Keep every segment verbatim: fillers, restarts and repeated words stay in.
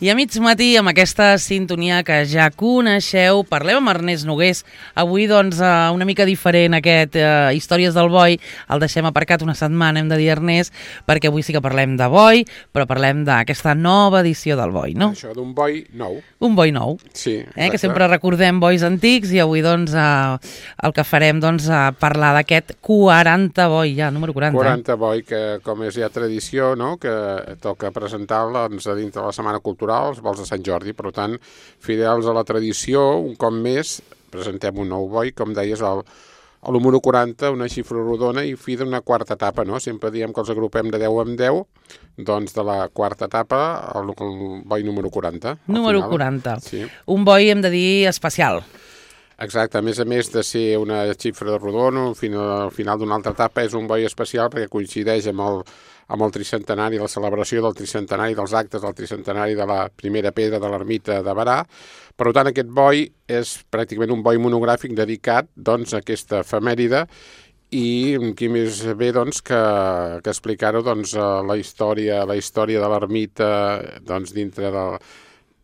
I a mig matí, amb aquesta sintonia que ja coneixeu, parlem amb Ernest Nogués. Avui, doncs, una mica diferent aquest eh, Històries del Boi. El deixem aparcat una setmana, hem de dir, Ernest, perquè avui sí que parlem de boi, però parlem d'aquesta nova edició del boi, no? Això d'un boi nou. Un boi nou. Sí, eh, que sempre recordem bois antics i avui, doncs, eh, el que farem, doncs, a parlar d'aquest quaranta boi, ja, número quaranta. quaranta boi, que com és ja tradició, no?, que toca presentar-la doncs, a dintre de la Setmana Cultural, els vols de Sant Jordi. Per tant, fidels a la tradició, un cop més, presentem un nou boi, com deies, el, el número quaranta, una xifra rodona i fi d'una quarta etapa, no? Sempre diem que els agrupem de deu en deu, doncs de la quarta etapa, el, el boi número quaranta. Número final. quaranta. Sí. Un boi, hem de dir, especial. Exacte, a més a més de ser una xifra rodona, al final, al final d'una altra etapa, és un boi especial perquè coincideix amb el, amb el tricentenari, la celebració del tricentenari, dels actes del tricentenari de la primera pedra de l'ermita de Berà. Per tant, aquest boi és pràcticament un boi monogràfic dedicat doncs, a aquesta efemèride i qui més bé doncs, que, que explicar-ho doncs, la història la història de l'ermita doncs, dintre de,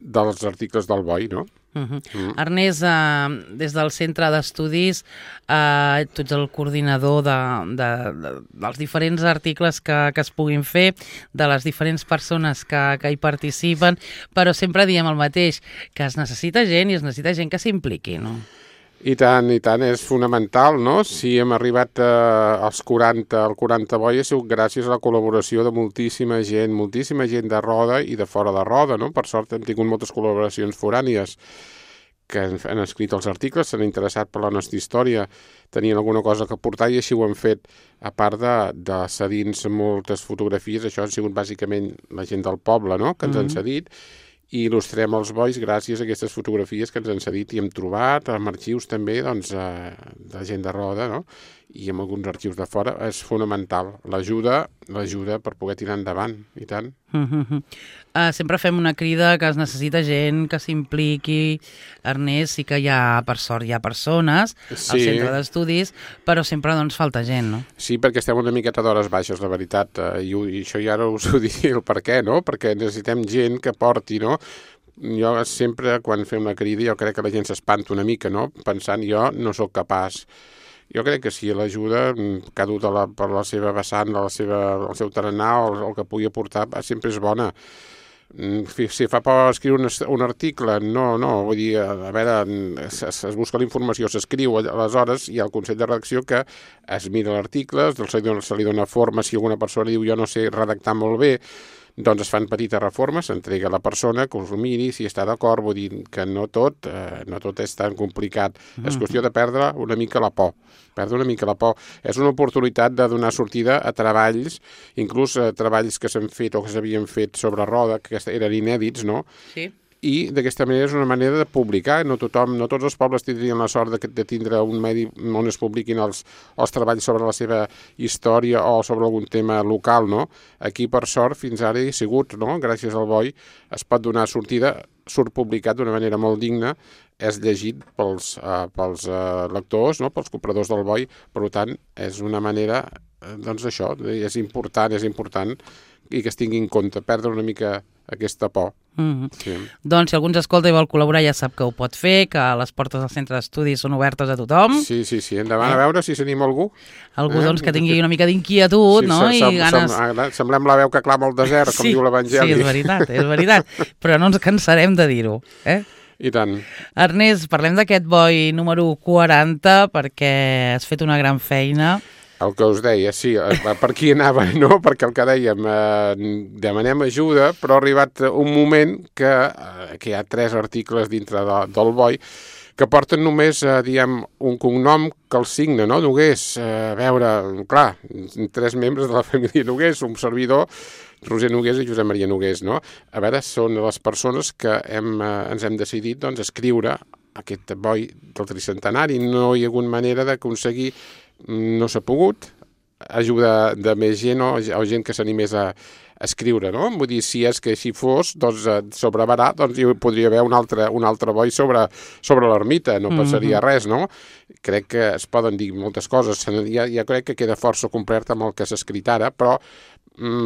dels articles del boi, no? Uh -huh. mm. Ernest, uh, des del Centre d'Estudis, uh, tu ets el coordinador de, de, de, dels diferents articles que, que es puguin fer, de les diferents persones que, que hi participen, però sempre diem el mateix, que es necessita gent i es necessita gent que s'impliqui, no? I tant, i tant, és fonamental, no? Si hem arribat eh, als quaranta, al quaranta boi, ha sigut gràcies a la col·laboració de moltíssima gent, moltíssima gent de Roda i de fora de Roda, no? Per sort hem tingut moltes col·laboracions forànies que han, han escrit els articles, s'han interessat per la nostra història, tenien alguna cosa que aportar i així ho han fet, a part de, de cedir-nos moltes fotografies. Això han sigut bàsicament la gent del poble, no?, que ens mm-hmm. han cedit, i il·lustrem els bois gràcies a aquestes fotografies que ens han cedit i hem trobat amb arxius també doncs, eh, de gent de Roda, no?, i amb alguns arxius de fora. És fonamental l'ajuda l'ajuda per poder tirar endavant, i tant. Uh-huh. Uh, sempre fem una crida que es necessita gent que s'impliqui. Ernest, sí que hi ha, per sort, hi ha persones sí. al centre d'estudis, però sempre doncs falta gent, no? Sí, perquè estem una miqueta d'hores baixes, la veritat, uh, i, i això ja no us ho diré el per què, no? Perquè necessitem gent que porti, no? Jo sempre, quan fem una crida, jo crec que la gent s'espanta una mica, no?, pensant, jo no sóc capaç. Jo crec que si l'ajuda, cada un la, per la seva vessant, la seva, el seu tarannà, el, el que pugui aportar, sempre és bona. Si fa por escriure un, un article, no, no, vull dir, a veure, es, es busca la informació, s'escriu, aleshores hi ha el Consell de Redacció que es mira l'article, se, se li dona forma, si alguna persona diu jo no sé redactar molt bé, doncs es fan petites reformes, s'entrega a la persona que us ho miri, si està d'acord, vull dir que no tot, eh, no tot és tan complicat. Mm. És qüestió de perdre una mica la por, perdre una mica la por. És una oportunitat de donar sortida a treballs, inclús a treballs que s'han fet o que s'havien fet sobre Roda, que eren inèdits, no? Sí. I d'aquesta manera és una manera de publicar. No tothom, no tots els pobles tindrien la sort de, de tindre un medi on es publiquin els, els treballs sobre la seva història o sobre algun tema local, no? Aquí, per sort, fins ara hi ha sigut, no? Gràcies al boi es pot donar sortida, surt publicat d'una manera molt digna, és llegit pels, uh, pels uh, lectors, no?, pels compradors del boi. Per tant, és una manera, doncs això, és important, és important i que es tingui en compte, perdre una mica aquesta por. Mm-hmm. Sí. Doncs si algú ens escolta i vol col·laborar ja sap que ho pot fer, que les portes del centre d'estudis són obertes a tothom. Sí, sí, sí, endavant, eh? A veure si s'anima algú. Algú eh? doncs que tingui una mica d'inquietud, sí, no? Sem, I ganes... sem, semblem la veu que clama al desert, com sí, diu l'Evangeli. Sí, és veritat, és veritat, però no ens cansarem de dir-ho, eh? I tant. Ernest, parlem d'aquest boi número quaranta perquè has fet una gran feina. El que us deia, sí, per qui anava, no? Perquè el que dèiem, eh, demanem ajuda, però ha arribat un moment que, eh, que hi ha tres articles dintre de, del boi que porten només, eh, diem, un cognom que el signa, no? Nogués, eh, a veure, clar, tres membres de la família Nogués, un servidor, Roser Nogués i Josep Maria Nogués, no? A veure, són les persones que hem, eh, ens hem decidit, doncs, escriure aquest boi del tricentenari. No hi ha hagut manera d'aconseguir, no s'ha pogut, ajuda de més gent o, o gent que s'animés a, a escriure, no? Vull dir, si és que així fos, doncs sobre Berà, doncs hi podria haver un altre, un altre boi sobre, sobre l'ermita, no passaria mm-hmm. res, no? Crec que es poden dir moltes coses, ja, ja crec que queda força completa amb el que s'ha escrit ara, però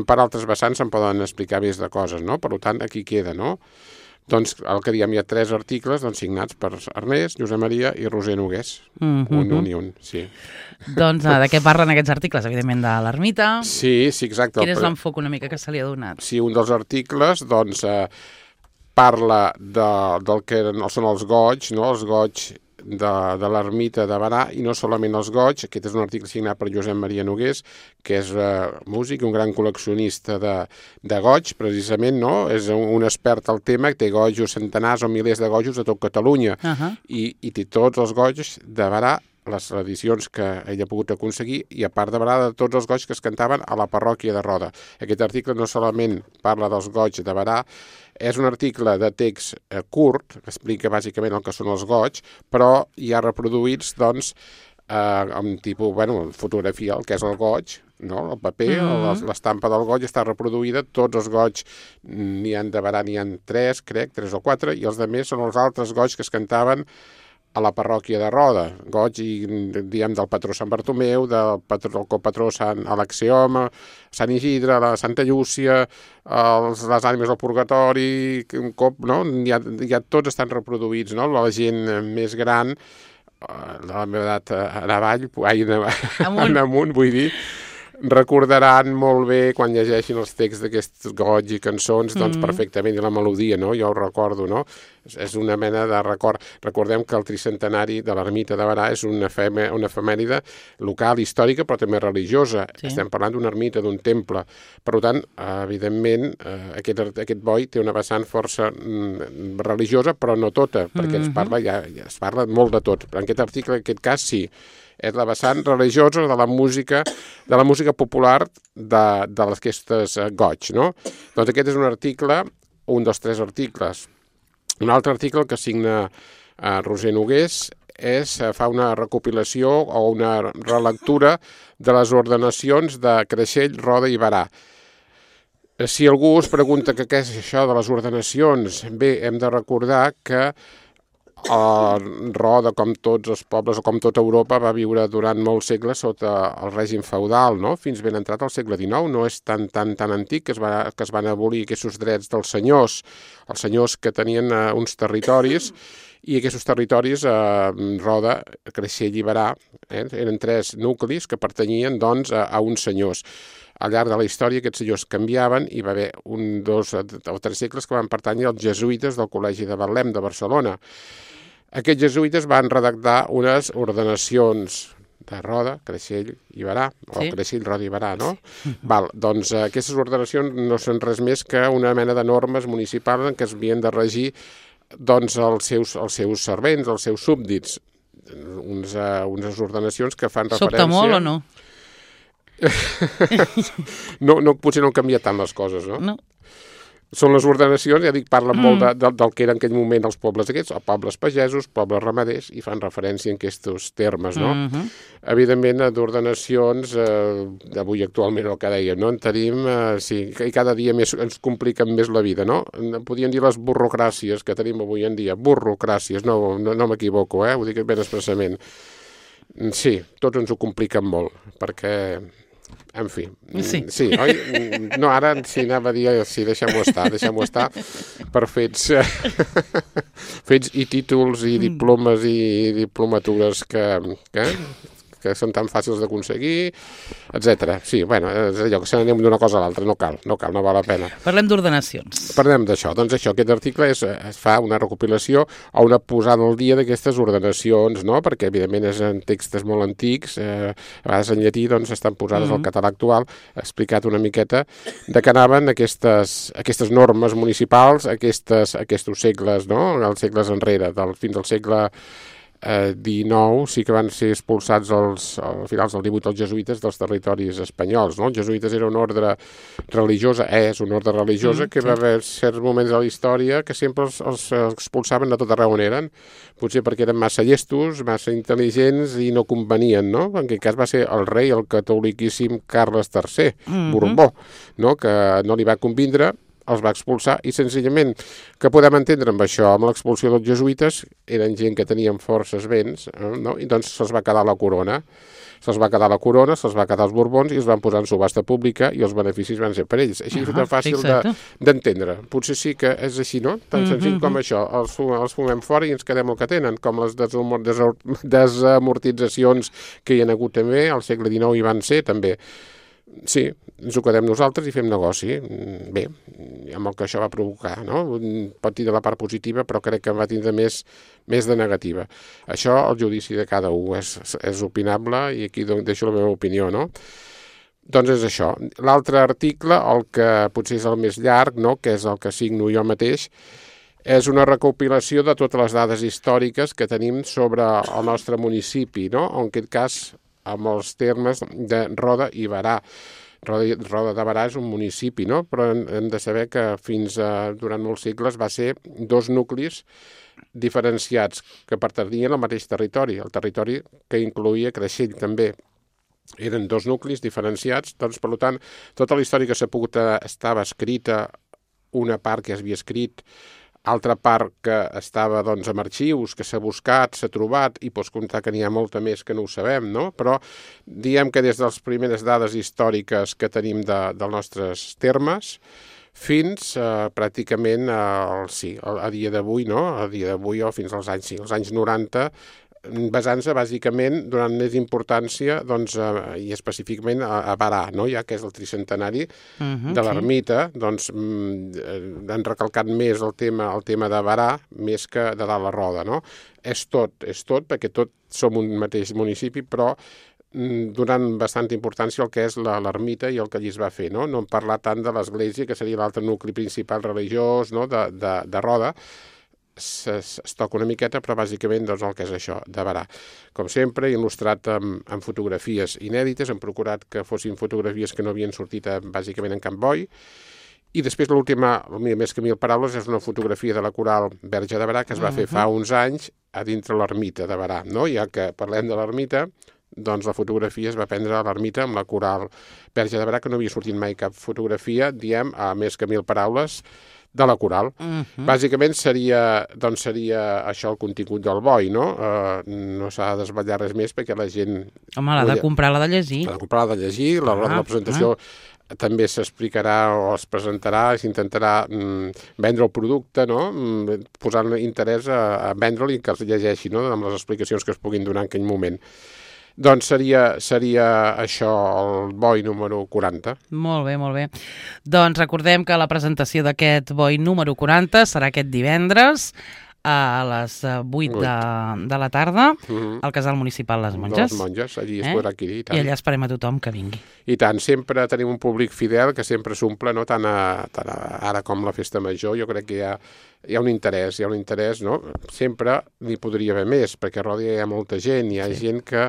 per altres vessants se'n poden explicar més de coses, no? Per tant, aquí queda, no? Doncs el que diem, hi ha tres articles doncs, signats per Ernest, Josep Maria i Roser Nogués. Mm -hmm. Un, un i un, sí. Doncs de què parlen aquests articles? Evidentment de l'ermita. Sí, sí, exacte. Quin és l'enfoc una mica que se li ha donat? Sí, un dels articles, doncs, eh, parla de, del que són els goigs, no? Els goigs de, de l'ermita de Berà, i no solament els goigs. Aquest és un article signat per Josep Maria Nogués, que és uh, músic, un gran col·leccionista de, de goigs, precisament, no? És un, un expert al tema, té goigos, centenars o milers de goigos a tot Catalunya, uh -huh. i, i té tots els goigs de Berà, les edicions que ell ha pogut aconseguir, i a part de Berà, de tots els goigs que es cantaven a la parròquia de Roda. Aquest article no solament parla dels goigs de Berà, és un article de text eh, curt, que explica bàsicament el que són els goigs, però hi ha reproduïts, doncs, eh, amb tipus, bueno, fotografia, el que és el goig, no? El paper, mm-hmm. l'estampa del goig està reproduïda, tots els goigs, n'hi ha de Berà, n'hi ha tres, crec, tres o quatre, i els de més són els altres goigs que es cantaven a la parròquia de Roda, goig, i, diguem, del patró Sant Bartomeu, del, patró, del copatró Sant Alexioma, Sant Isidre, la Santa Llúcia, els, les ànimes del purgatori, un cop, no? Ja, ja tots estan reproduïts, no? La gent més gran, de la meva edat en avall, ai, en, amunt. en amunt, vull dir, recordaran molt bé quan llegeixin els texts d'aquests goigs i cançons, doncs mm. perfectament, i la melodia, no? Jo ho recordo, no? És una mena de record. Recordem que el tricentenari de l'ermita de Berà és una, efeme, una efemèride local, històrica, però també religiosa. Sí. Estem parlant d'una ermita, d'un temple. Per tant, evidentment, aquest, aquest boi té una vessant força mm, religiosa, però no tota, perquè mm-hmm. es parla, ja, ja es parla molt de tot. Però en aquest article, en aquest cas, sí. És la vessant religiosa de la música, de la música popular de, de aquestes goigs, no? Doncs aquest és un article, un dels tres articles. Un altre article que signa eh, Roser Nogués és, fa una recopilació o una relectura de les ordenacions de Creixell, Roda i Berà. Si algú es pregunta que què és això de les ordenacions, bé, hem de recordar que a Roda, com tots els pobles o com tota Europa, va viure durant molts segles sota el règim feudal, no? Fins ben entrat al segle dinou. No és tan, tan, tan antic que es, va, que es van abolir aquests drets dels senyors, els senyors que tenien uh, uns territoris, i aquests territoris, uh, Roda, Creixell i Berà, eh, eren tres nuclis que pertanyien, doncs, a, a uns senyors. Al llarg de la història aquests senyors canviaven, i va haver un, dos o tres segles que van pertànyer als jesuïtes del Col·legi de Betlem de Barcelona. Aquests jesuïtes van redactar unes ordenacions de Roda, Creixell i Berà, o sí. Creixell, Roda i Berà, no? Sí. Val, doncs eh, aquestes ordenacions no són res més que una mena de normes municipals en què es havien de regir, doncs, els seus, els seus servents, els seus súbdits. Uns, uh, unes ordenacions que fan referència... Sobta molt o no? no, no, potser no han canviat tant les coses, no? No. Són les ordenacions, ja dic, parlen mm. molt de, de, del que eren en aquell moment els pobles aquests, o pobles pagesos, pobles ramaders, i fan referència en aquests termes, no? Mm-hmm. Evidentment, d'ordenacions, eh, avui actualment el que dèiem, no? En tenim, eh, sí, i cada dia més ens compliquen més la vida, no? Podríem dir les burrocràcies que tenim avui en dia, burrocràcies, no, no, no m'equivoco, eh? Ho dic ben expressament. Sí, tots ens ho compliquen molt, perquè... En fi, sí, sí oi? No, ara sí, anava a dir, sí, deixem-ho estar, deixem-ho estar per fets, fets i títols i diplomes i diplomatures que, que, que són tan fàcils d'aconseguir, etcètera. Sí, bueno, és allò que se n'anem d'una cosa a l'altra, no cal, no cal, no val la pena. Parlem d'ordenacions. Parlem d'això. Doncs això, aquest article és, es fa una recopilació o una posada al dia d'aquestes ordenacions, no? Perquè, evidentment, és en textos molt antics, eh, a vegades en llatí, doncs, estan posades mm-hmm. al català actual, ha explicat una miqueta de què anaven aquestes, aquestes normes municipals, aquestes, aquests segles, no? Els segles enrere, del, fins al segle Eh, dinou, sí que van ser expulsats els, a finals del divuit els jesuïtes dels territoris espanyols, no? Els jesuïtes era una ordre religiosa, és una ordre religiosa mm, que sí. va haver certs moments de la història que sempre els, els expulsaven de tot arreu on eren, potser perquè eren massa llestos, massa intel·ligents i no convenien, no? En aquest cas va ser el rei, el catoliquíssim Carles tercer, mm-hmm. Borbó, no? Que no li va convindre els va expulsar i senzillament, que podem entendre amb això, amb l'expulsió dels jesuïtes, eren gent que tenien forces béns, no? I doncs se'ls va quedar la corona. Se'ls va quedar la corona, se'ls va quedar els Borbons i els van posar en subhasta pública i els beneficis van ser per ells. Així és tan fàcil d'entendre. De, Potser sí que és així, no? Tan senzill mm-hmm. com això. Els, els fumem fora i ens quedem el que tenen, com les desamortitzacions que hi ha hagut també, al segle dinou hi van ser també. Sí, ens ho quedem nosaltres i fem negoci. Bé, amb el que això va provocar, no? Pot dir de la part positiva, però crec que va tindre més, més de negativa. Això, el judici de cada un és, és opinable i aquí deixo la meva opinió, no? Doncs és això. L'altre article, el que potser és el més llarg, no? Que és el que signo jo mateix, és una recopilació de totes les dades històriques que tenim sobre el nostre municipi, no? En aquest cas, amb els termes de Roda i Berà. Roda, Roda de Berà és un municipi, no? Però hem de saber que fins a, durant molts segles va ser dos nuclis diferenciats que pertanyien al mateix territori, el territori que incloïa Creixell també. Eren dos nuclis diferenciats, doncs, per tant, tota la història que s'ha pogut estava escrita, una part que es havia escrit, altra part que estava doncs, amb arxius, que s'ha buscat, s'ha trobat, i pots comptar que n'hi ha molta més que no ho sabem, no? Però diem que des de les primeres dades històriques que tenim de, dels nostres termes fins eh, pràcticament a, sí, a, a dia d'avui, no? A dia d'avui o fins als anys, sí, als anys noranta, basant-se bàsicament donant més importància doncs, a, i específicament a, a Berà, no? Ja que és el tricentenari uh-huh, de l'ermita, sí. Doncs mm, han recalcat més el tema, el tema de Berà més que de dalt la Roda, no? És tot, és tot, perquè tot som un mateix municipi, però mm, donant bastanta importància al que és l'ermita i el que allí es va fer, no? No hem parlat tant de l'església, que seria l'altre nucli principal religiós, no? de, de, de Roda. Es, es toca una miqueta, però bàsicament doncs, el que és això, de Berà. Com sempre, il·lustrat amb, amb fotografies inèdites, hem procurat que fossin fotografies que no havien sortit a, bàsicament en Camp Boi, i després l'última, més que mil paraules, és una fotografia de la coral Verge de Berà que es va fer fa uns anys a dintre l'ermita de Berà, no? Ja que parlem de l'ermita, doncs la fotografia es va prendre a l'ermita amb la coral Verge de Berà, que no havia sortit mai cap fotografia, diem, a més que mil paraules, de la coral. Uh-huh. Bàsicament seria, doncs seria això el contingut del boi, no? Uh, no s'ha de desvetllar res més perquè la gent... Home, l'ha de comprar, l'ha de llegir. L'ha de comprar, l'ha de llegir, a l'hora de la presentació uh-huh. també s'explicarà o es presentarà, s'intentarà mm, vendre el producte, no? Mm, posant interès a, a vendre'l i que els llegeixi, no? Amb les explicacions que es puguin donar en aquell moment. Doncs seria, seria això el boi número quaranta. Molt bé, molt bé. Doncs recordem que la presentació d'aquest boi número quaranta serà aquest divendres a les vuit de, de la tarda mm-hmm. al Casal Municipal Les Monges. Les Monges, allí es eh? podrà adquirir. I, I allà esperem a tothom que vingui. I tant, sempre tenim un públic fidel que sempre s'omple, no? Tant, a, tant a, ara com la Festa Major, jo crec que hi ha, hi ha un interès, hi ha un interès, no? Sempre n'hi podria haver més, perquè a Roda hi ha molta gent, hi ha sí. gent que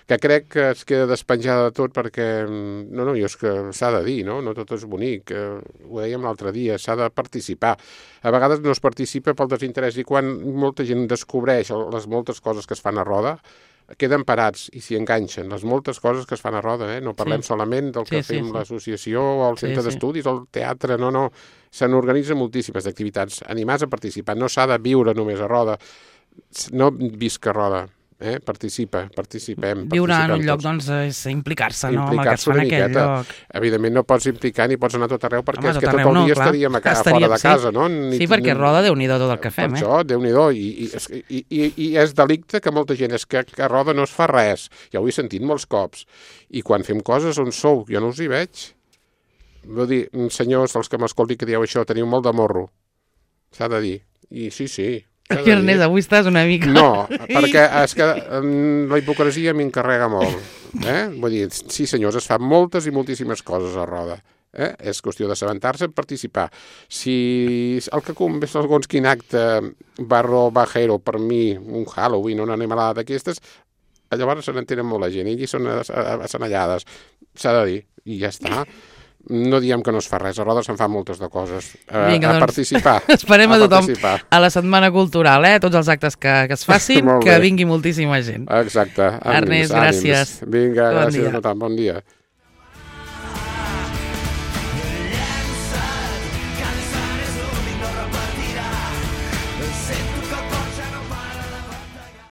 que crec que es queda despenjada de tot perquè, no, no, jo és que s'ha de dir, no? No tot és bonic, eh, ho dèiem l'altre dia, s'ha de participar. A vegades no es participa pel desinterès i quan molta gent descobreix les moltes coses que es fan a Roda, queden parats i s'hi enganxen. Les moltes coses que es fan a Roda, eh? No parlem sí. solament del que sí, fem sí, sí. l'associació o el centre sí, d'estudis sí. o el teatre, no, no. Se n'organitzen moltíssimes activitats. Animats a participar, no s'ha de viure només a Roda, no visca a Roda. Eh? Participa, participem. Viure participem en un lloc, tots. doncs, és implicar-se, no? Implicar amb el que es fa en aquell lloc. Evidentment no pots implicar ni pots anar a tot arreu perquè Home, és que tot tot el no, dia clar. estaríem a casa, estaríem, fora de casa, sí. no? Ni, sí, perquè Roda, Déu-n'hi-do tot el que fem, per eh? això, Déu-n'hi-do, i, i, i, i, i és delicte que molta gent és que a Roda no es fa res. Ja ho he sentit molts cops. I quan fem coses on sou, jo no us hi veig. Vull dir, senyors, els que m'escoltin que dieu això, teniu molt de morro. S'ha de dir. I sí, sí. Aquí, Ernest, avui estàs una mica... No, perquè és que la hipocresia m'encarrega molt. Eh? Vull dir, sí, senyors, es fan moltes i moltíssimes coses a Roda. Eh? És qüestió d'assabentar-se, participar. Si el que convé segons quin acte barro bajero per mi, un Halloween o una animalada d'aquestes, llavors se n'entenen molt la gent, i allí són assenallades. S'ha de dir, i ja està. No diem que no es fa res, a Roda se'n fan moltes de coses. A, Vinga, a doncs, participar. Esperem a, a tothom participar. A la Setmana Cultural, eh? Tots els actes que, que es facin, que vingui moltíssima gent. Exacte. Ernest, gràcies. Vinga, bon gràcies dia. a tothom, bon dia.